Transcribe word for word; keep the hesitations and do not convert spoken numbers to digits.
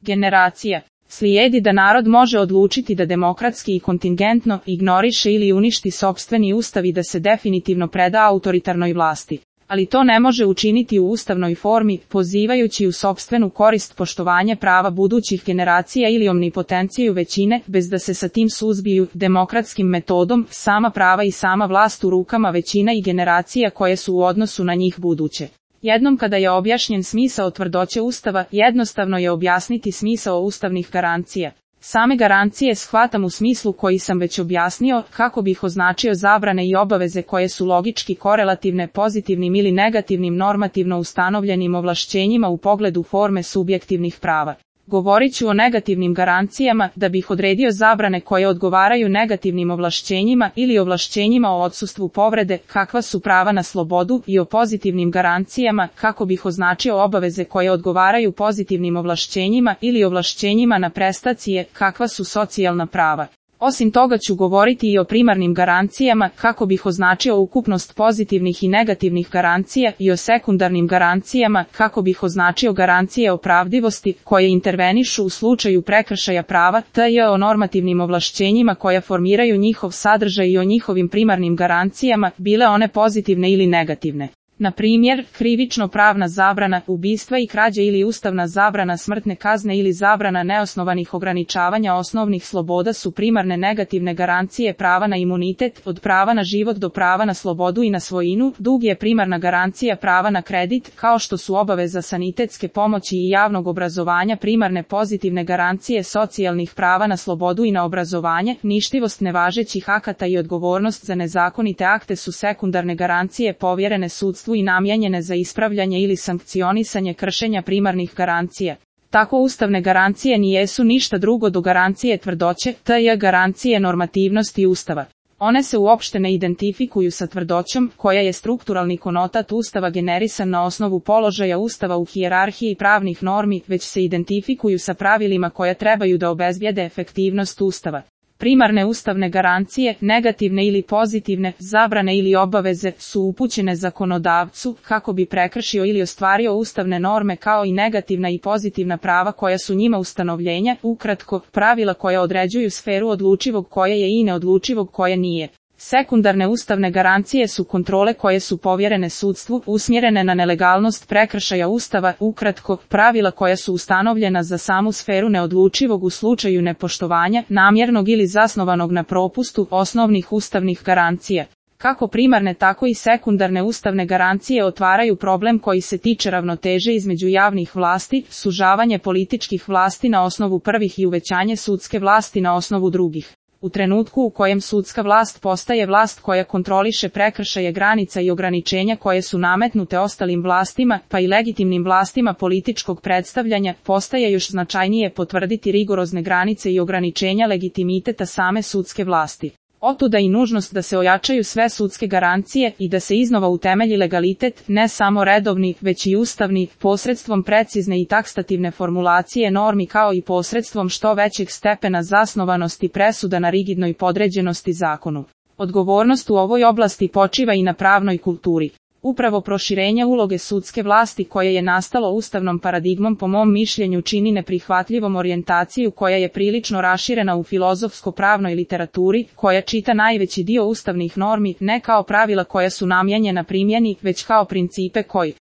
Generacija. Slijedi da narod može odlučiti da demokratski i kontingentno ignoriše ili uništi sopstveni ustav i da se definitivno preda autoritarnoj vlasti. Ali to ne može učiniti u ustavnoj formi, pozivajući u sopstvenu korist poštovanje prava budućih generacija ili omnipotenciju većine, bez da se sa tim suzbiju demokratskim metodom sama prava i sama vlast u rukama većina i generacija koje su u odnosu na njih buduće. Jednom kada je objašnjen smisao tvrdoće Ustava, jednostavno je objasniti smisao ustavnih garancija. Same garancije shvatam u smislu koji sam već objasnio, kako bih označio zabrane i obaveze koje su logički korelativne pozitivnim ili negativnim normativno ustanovljenim ovlašćenjima u pogledu forme subjektivnih prava. Govorit ću o negativnim garancijama, da bih odredio zabrane koje odgovaraju negativnim ovlašćenjima ili ovlašćenjima o odsustvu povrede, kakva su prava na slobodu, i o pozitivnim garancijama, kako bih označio obaveze koje odgovaraju pozitivnim ovlašćenjima ili ovlašćenjima na prestacije, kakva su socijalna prava. Osim toga ću govoriti i o primarnim garancijama, kako bih označio ukupnost pozitivnih i negativnih garancija, i o sekundarnim garancijama, kako bih označio garancije opravdivosti, koje intervenišu u slučaju prekršaja prava, te o normativnim ovlašćenjima koja formiraju njihov sadržaj i o njihovim primarnim garancijama, bile one pozitivne ili negativne. Na primjer, krivično-pravna zabrana ubistva i krađe ili ustavna zabrana smrtne kazne ili zabrana neosnovanih ograničavanja osnovnih sloboda su primarne negativne garancije prava na imunitet, od prava na život do prava na slobodu i na svojinu. Dug je primarna garancija prava na kredit, kao što su obaveza sanitetske pomoći i javnog obrazovanja primarne pozitivne garancije socijalnih prava na slobodu i na obrazovanje. Ništivost nevažećih akata i odgovornost za nezakonite akte su sekundarne garancije povjerene sudstvu i namijenjene za ispravljanje ili sankcionisanje kršenja primarnih garancija. Tako ustavne garancije nijesu ništa drugo do garancije tvrdoće, te garancije normativnosti Ustava. One se uopšte ne identifikuju sa tvrdoćom, koja je strukturalni konotat Ustava generisan na osnovu položaja Ustava u hijerarhiji pravnih normi, već se identifikuju sa pravilima koja trebaju da obezbijede efektivnost Ustava. Primarne ustavne garancije, negativne ili pozitivne, zabrane ili obaveze, su upućene zakonodavcu, kako bi prekršio ili ostvario ustavne norme kao i negativna i pozitivna prava koja su njima ustanovljenja, ukratko, pravila koja određuju sferu odlučivog koje je i neodlučivog koje nije. Sekundarne ustavne garancije su kontrole koje su povjerene sudstvu, usmjerene na nelegalnost prekršaja Ustava, ukratko, pravila koja su ustanovljena za samu sferu neodlučivog u slučaju nepoštovanja, namjernog ili zasnovanog na propustu, osnovnih ustavnih garancija. Kako primarne tako i sekundarne ustavne garancije otvaraju problem koji se tiče ravnoteže između javnih vlasti, sužavanje političkih vlasti na osnovu prvih i uvećanje sudske vlasti na osnovu drugih. U trenutku u kojem sudska vlast postaje vlast koja kontroliše prekršaje granica i ograničenja koje su nametnute ostalim vlastima, pa i legitimnim vlastima političkog predstavljanja, postaje još značajnije potvrditi rigorozne granice i ograničenja legitimiteta same sudske vlasti. Otuda i nužnost da se ojačaju sve sudske garancije i da se iznova utemelji legalitet, ne samo redovni, već i ustavni, posredstvom precizne i takstativne formulacije normi kao i posredstvom što većeg stepena zasnovanosti presuda na rigidnoj podređenosti zakonu. Odgovornost u ovoj oblasti počiva i na pravnoj kulturi. Upravo proširenje uloge sudske vlasti koje je nastalo ustavnom paradigmom po mom mišljenju čini neprihvatljivom orijentaciju koja je prilično raširena u filozofsko-pravnoj literaturi, koja čita najveći dio ustavnih normi ne kao pravila koja su namijenjena primjeni, već kao principe koji